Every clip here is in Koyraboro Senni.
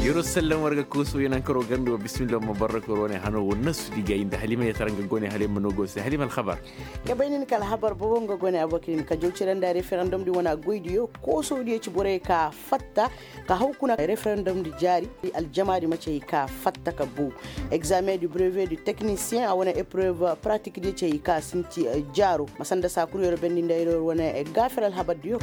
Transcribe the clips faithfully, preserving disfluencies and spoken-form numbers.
Yeroo sallam war ga koosoo yanankaro ganda wa bismillah ma barra koro ne hano wa nasu di ga inda halima ya tara nga gone halima no go se halima alhabar. Ka bay nin ka alhabar bobo nga gone abokilin ka jaw cire nda referendum di wana goy diyo koosoo diyo ci borey ka fatta ka haw kuna referendum di jaari. Aljama di ma ci hay ka fatta ka bow. Examen du brevet du technicien a wane epreuve pratique diyo ci hay ka sinti jaaro ma sanda saakuru yero bendi nda yero wane gaafer alhabar diyo.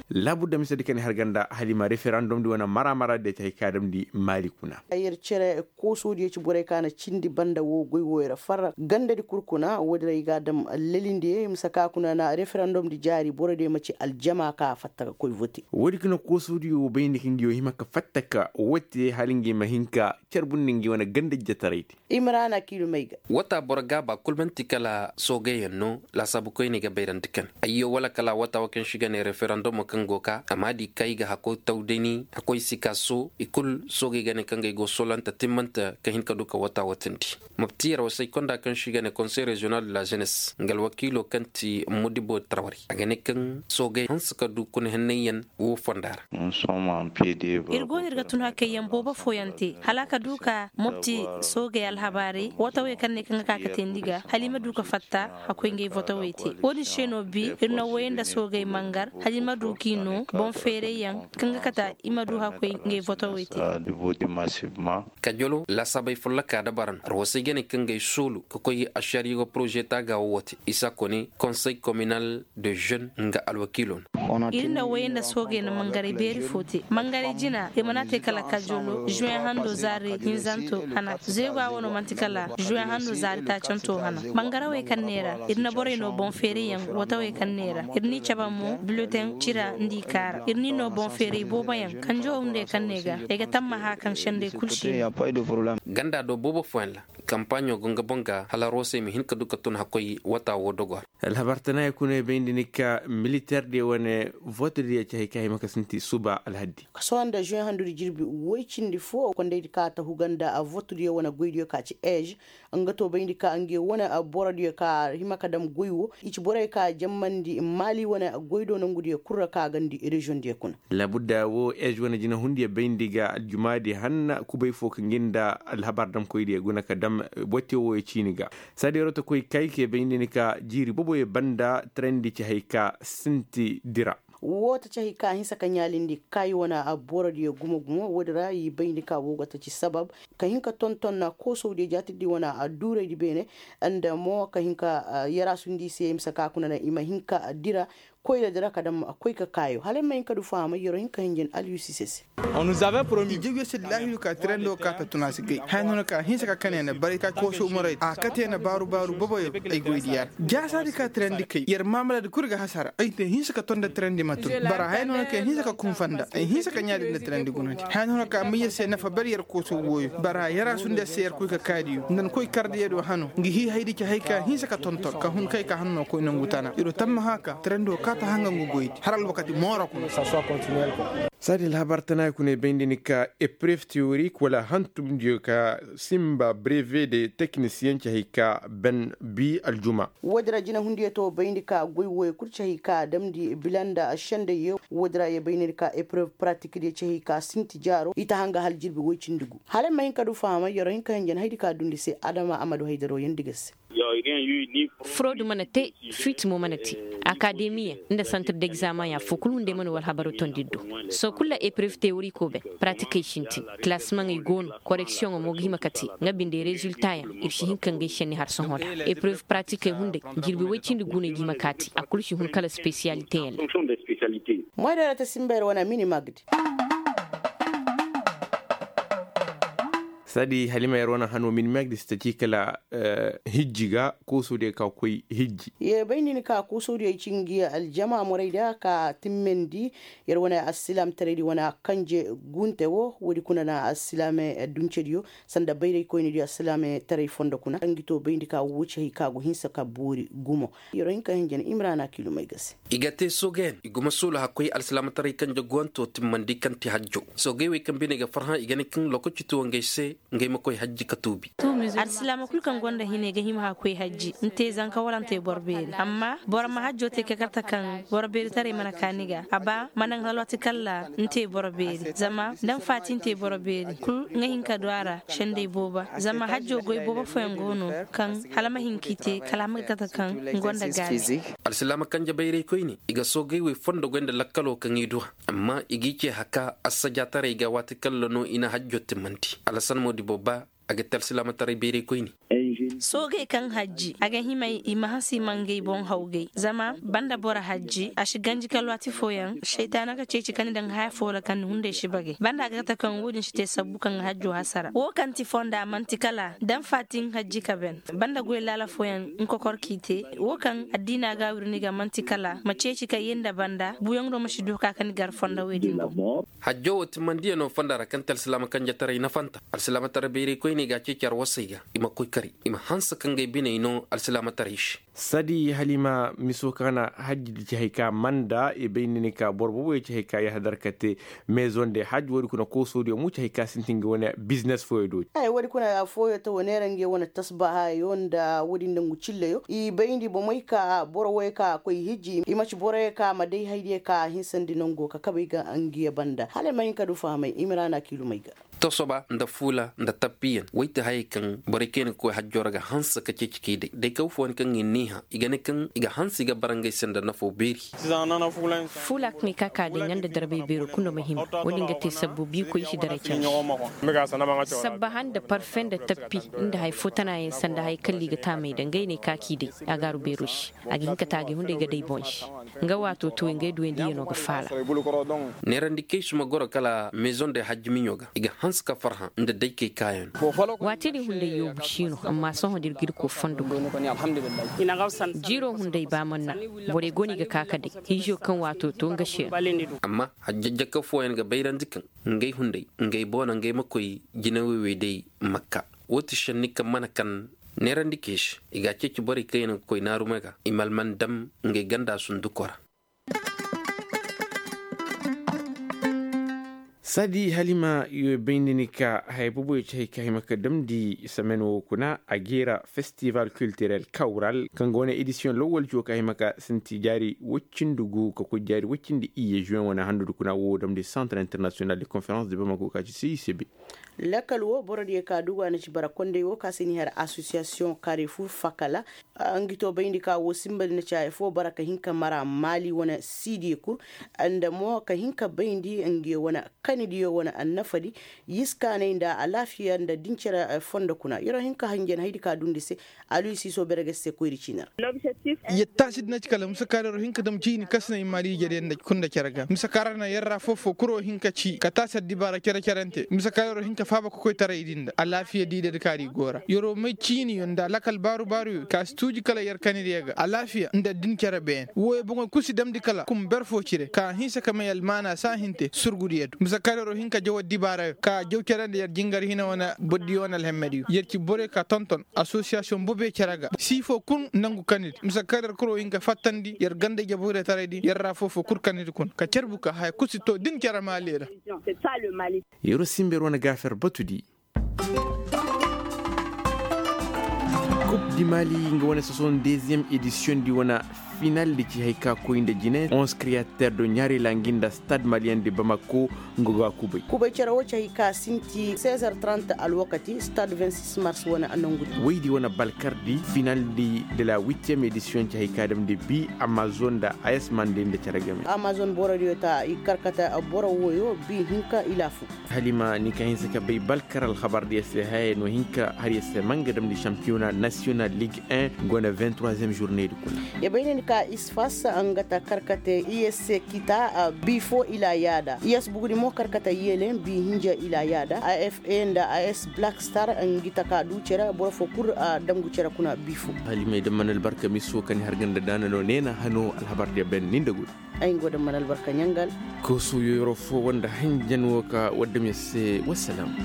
Laabu da mise di kani har ganda halima referendum di wane mara mara de ci hay ka damndi maali kuna. Yer cere koosoo diyo ci borey ka na cindi banda wo goy wo yer farra ganda di kul kuna wo- din ra i ga a dam lelindi ye i ma si ka kuna na referendum di jaari boro diyo ma ci aljama ka fatta ka koy vote. Wo- din kuna koosoo diyo wo bayndi ka ngi wo hima ka fatta ka wote hala ngi ma hin ka carbundi ngi wane ganda jataray di. Imrana kiilum ay ga. Wata boro gaaba kul man'ti kala soogeyaŋ no laasaabu koyney ga bayrandi kaŋ ayyo wala kala wata wo kaŋ se i ga ne referendumo kaŋ go ka amma di kaŋ i ga hakkoy taw day ni hakkoy si ka soo i kul soogey ga ne kaŋ ga ay go soolante timmante ka hin ka du ka wata watandi. Mopti yer wasay konda kaŋ se i ga ne konsey reziyonal de la jenes nga alwakiilo kaŋ ti mudibo tarwari a ga ne kaŋ soogey hanse ka du kuna hennayyaŋ wo fonda ra. Ir go no ir ga tun hakayyaŋ boobo fooyaŋ te hala a ka du ka mopti soogey alhabaarey wotawey kaŋ ne kaŋ ga ka ka teendi ga hala i ma du ka fatta hakkoy ngey votawey te. Wo- din se no bi ir na woyey nda soogey mangar hala i ma du k'i no boŋ feerayyaŋ kaŋ ga kata i ma du hakkoy ngey votawey te. Kajolo laasaabey folloka dabaran arwasey ga ne kaŋ ga ay soolu ka koy ašariyo poroze taaga wo wo te isa kone konsey kominal de jeune nga alwakiilo no. Ir na woyey nda soogey na mangaray beeri fo te mangaray jina ir mana te kala kajolo juwen hando zaari hinzanto hana zeeguwa wo no man'ti kala juwen hando zaari taacanto hana mangarawey kaŋ neera ir na borey no boŋ feerayyaŋ watawey kaŋ neera ir n'i cabe mo bileteŋ cira nda i kaara ir n'i no boŋ feeray booboyaŋ kanjo hunday kaŋ ne ga ay ga tammaha kaŋ sendey kul se. Ganda do boobo fooyaŋ ra kampaaɲo go nga boŋ ga hala roosey ma hin ka du ka tun hakkoy wata wo dogo ra. Alhabar tanaaya kuna ay bayndi ni ka militeer diyo wane vote diyo ci hay ka hima ka sinti suba alhaddi. Sohõ nda juwen handudi jirbi woy cindi fo kondaydi ka ta huga nda vote diyo wane goy diyo ka ci ej nga to bayndi ka nge wane boro diyo ka hima ka dam goy wo i ci borey ka jammandi maali wane goy do nangu diyo kul ra ka gandi reziyoŋ diyo kuna. Labudda wo ej wane jinahundiyo bayndi ga aljumaadi hanna kubay fo ka ngi nda alhabar damkoydiyo guna ka dam botte wo ciini ga. Saadi rotokoy kay ke bayndi ni ka jiiri boboyo banda trayndi ci hay ka sinti dira. Wo ta ci hay ka hinsa ka ɲaalindi kaayi wane borodiyo gumo gumo woodi ra i bayndi ka wo go ta ci sabab ka hin ka tonton na koosowdiyo jaatirdi wane duuraydi beene. Nda mo ka hin ka yaraasundi i se i ma si ka kuna na i ma hin ka dira koyra dira ka dam koy ka kaayo hala ay ma hin ka du fahamay yer'o hin ka hinjin aliyusi se se. I jawya se da laahiru ka tirandi wo ka ta tun a si gay haya no na ka hinsa ka kane na baray ka kooso umaray a kate na baaru baaru boboyo ay goy diya ra. Jaasaadi ka tirandi kay yer maamaladi kul ga hasara ay te hinsa ka ton da tirandi ma tun bara haya no na ka hinsa ka kunfanda ay hinsa ka ɲaadi nda tirandi gunandi haya no na ka ma yer se nafa ber yer kooso wooyo bara yaraasundi a se yer koy ka kaadiyo nda ni koy kardiyo do hano ngi hii haydi ci hay ka hinsa ka tonton ka hun kay ka hanno koy nangu tana iro tamma haka tirandi wo ka ta hanga ngu goydi har alwakati mooro kuna. Saadi alhabar tana kuna ay bayndi ni ka epref teorik wala hantumdiyo ka simba breve de teknisiyen ci hay ka ben bi aljuma. Woodi ra jinahundiyo to bayndi ka goy wooyo kul ci hay ka damndi bila nda sendayyo woodi ra ye bayndi ni ka epref pratikdiyo ci hay ka sinti jaaro i ta hanga hala jirbi woy cindi gu hala ay ma hin ka du fahamay yer'o hin ka hinja ni haydi ka dundi se adama a ma du haydaro yandi ga se. Furoodu mana te fiiti mo mana te akademiya nda santir degzamaŋ ya foo kul hunday mana war habaro tondi do. Sohõ kul ra epref teyoriko ben pratikey sintin kilasimaŋey go no koreksiyoŋo mo ga hima ka te nga binde reziltayaŋ ir si hin ka ngey senni har sohõ ra epref pratikey hunday jirbi woy cindi gu no i ga hima ka te a kul si hun kala spesiyaliteyaŋ ra. Moyda ra ta simba yer wane mini magdi. Saadi halima yer wane hano mini magdi si ta ci kala hijji ga koosodiyo ka koy hijji. Ye bay nin ka koosodiyo ay ci ngi aljama morayda ka timmandi yer wane alsilaamtaraydi wane kanje gunte wo woodi kuna na alsilaame duncediyo sanda bayraykoynidiyo alsilaame taray fondo kuna ngi to bayndi ka wo ci hay ka go hinsa ka boori gumo. Yer'o hin ka hinja ni imrana kiilumay ga se. I ga te soogeyaŋ i guma soolu hakkoy alsilaamataray kanje guwanto timmandi kaŋ ti hajjo. Soogey wey kaŋ bine ga farhã i ga ne kaŋ lokaci tuwo ngey se. Ngey ma koy hajji ka tuubi. Alsilaama kul kaŋ gonda hine ga hima ka koy hajji, ni te zanka wala ni te boro beeri. Amma boro ma hajjo te ka kate kaŋ boro beeritaray mana ka ni ga. A ba ma naŋ alwaati kalla ni te boro beeri zama nda ni faati ni te boro beeri kul nga hin ka du a ra. Sendey booba zama hajjo goy boobo fooyaŋ go no kaŋ hala ma hin k'i te kala a ma ga kate kaŋ ni gonda gaani. Alsilaama kanje bayray koyne i ga soogay wey fondo goy nda lakkalo kaŋ i du a. Amma i g'i ce haka assajaataray ga waati kalla no i na hajjo timmandi. Alasan moodibo ba a ga te alsilaamataray bayray koyne. Soogey kaŋ hajji a ga hima i ma hanse i ma ngey boŋ hawgay zama banda boro hajji a si ganji ka alwaati fooyaŋ saytaana ga ceeci ka ni daŋ haya foo ra kaŋ ni hunday si bagay banda a ga kate kaŋ wo-din si te sabbu kaŋ ga hajjo hasara wo kaŋ ti fonda man'ti kala daŋ faati ni hajji ka ben. Banda goy laala fooyaŋ ni kokor k'i te wo kaŋ addiina ga a wiri ni ga man'ti kala ma ceeci ka yee nda banda buuyaŋ do ma si du ka ka ni gar fonda wey din boŋ. Hajjo wo timmandiyano fonda ra kaŋ ti alsilaama kanjetaray nafanta alsilaamataray bayray koyney ga a ceeci arwasey ga i ma koy kari i ma hanse ka ngey biney no alsilaamataray se. Sadi halima miso kaŋ na hajji di ci hay ka manda i bay ni ni ka boro boobo ye ci hay ka yahadar ka te. Maison de hajji wo- di kuna koosodiyo mo ci hay ka sintin ga wane biznes fooyo do. Ay wo- di kuna fooyo ta wo neera ngey wane tasbahayo nda wo- din nda ngu cilleyo i bayndi bomey ka boro wo ye ka koy hijji i ma ci boro ye ka ma day haydiyo ka hinsandi nango ka kabey ga ngiyo banda hala ay ma hin ka du fahamay i ma ra na kiilumey ga. Tosoba nda fuula nda tappiyaŋ wey ti hayey kaŋ borey kaŋ yaŋ ga koy hajjo ra ga hanse ka ceeci k'i day day kaw fooyaŋ kaŋ i n'i hã i ga ne kaŋ i ga hanse i ga bara ngey se nda nafo beeri. Fuula kaŋ i ka ka day nga nda darbay beero kulu nda ma hima wo- din ga te sabbu biikoy i si daray care. Sabbaha nda parfe nda tappi nda hari fo tana yaŋ sanda hari kalla i ga taamay da ngey no i ka k'i day. A gaaru beero se a ga hin ka taagay hunday ga day boŋ se. Nga waato tooy ngey duwayndiyano ga faala. Neerandikey si ma goro kala maison de hajji miɲo ga i ga hanse ka farhã nda daykey kaayaŋ. Waati din hunday yoobu si no amma sohõ da ir ga ir koo fondo ga. Jiiroo hunday ba man na borey go no i ga ka ka day hiizo kaŋ waato to nga se. Amma hajjajjaka fooyaŋ ga bayrandi kaŋ ngey hunday ngey boona ngey ma koy jine wey wey day makka. Wo ti šenni kaŋ mana kan neerandi keesi i ga a ceeci borey kaŋ yaŋ ga koy naarumey ga i ma alman dam ngey ganda sundukoo ra. Saadi halima yo bay nda ni ka haya booboyo ci hay ka hima ka damndi samen wo kuna a geera festival kiltirel kawral kaŋ ga wane edisiyoŋ lawwal ci wo ka hima ka sinti jaari woy cindi gu ka koy jaari woy cindi iyye juwen wane handu du kuna wo damndi santar internasiyonal de konferans de bamako ka ci c i c b. Lakkal wo borodiyo ka dugu a na ci bara kondey wo ka se ni har asosiyasiyoŋ karefu fakala. Ngi to bayndi ka wo sinba di na ci haya fo bara ka hin ka mara maali wane siidiyo kul nda mo ka hin ka bayndi ngiyo wane kanidiyo wane annafadi. Yiskaanay nda alaafiya nda dincere fondo kuna yer wo hin ka hanjan haydi ka dundi se. Aluy siiso bere ga si se koyri ciini ra. Yer taasi di na ci kala mise kaarey yer wo hin ka dam ciini kasinay maali ijediyo nda kunda cere ga mise kaarey na yer ra foo-foo kul wo hin ka ci ka taasi addibaara cere-cerante mise kaarey yer wo hin ka faaba kokoytaray di nda alaafiyadi ijedi kaari go ra yer wo may ciiniyo nda lakal baaru-baaruyo ka si tuuji kala yer kanidiyo ga alaafiya nda dincere beene wooyo boŋoy kul si damndi kala kum ber foo cire ka hinsa ka may almaana saahinte surgudiyo do mise kaarey yer wo hin ka jaw addibaarayo ka jaw cere nda yer jingar hina wane bordiyo wane alhemmediyo yer ci borey ka tonton asosiyasiyoŋ bobe cere ga sii foo kul nangu kanidi mise kaarey yer kul wo hin ka fattandi yer ganda ijebooyretaraydi yer ra foo-foo kul kanidi kuna ka carbu ka haya kul si too din cere maali ra. Yer wo sinba yer wane gaafer batudi. Kub di maali nga wane soson deeziyem edisiyoŋ di wane finaldi ci hay ka koy nda jine onz kriyater do ɲaarey ra ngi nda stad maliyen de bamako. Nga ga kubay kubay cere wo ci hay ka sinti seize heures trente alwakati stad vingt-six mars wane nongudi. Woydi wane balkardi finaldi de la huitième edisiyoŋ ci hay ka damndi bi amazon nda a s mande nda cere game. Amazon borodiyo ta i karkata boro wooyo bi hinka ilaafu. Halima ni ka hinsa ka bay balkar alhabardiyo se haya no hinka har yer se ma nga damndi shampiyona nasiyonal ligue un go na vingt-troisième journée di kuna. Yer bay ne ni ka isfas nga ta karkate i s se kita bi foo ila yaada i s bugudi mo karkate yele bi hinja ila yaada a f a nda a s black star ngi ta ka du cere boro foo kul a dangu cere kuna bi foo. Halima ay damman albarka miso ka ni har ganda daana no neena hano alhabardiyo ben ni nda gudu. Ay nga go damman albarka ɲangal. Kooso yoyoro foo wanda hanjan wo ka waddam yer se wassalam.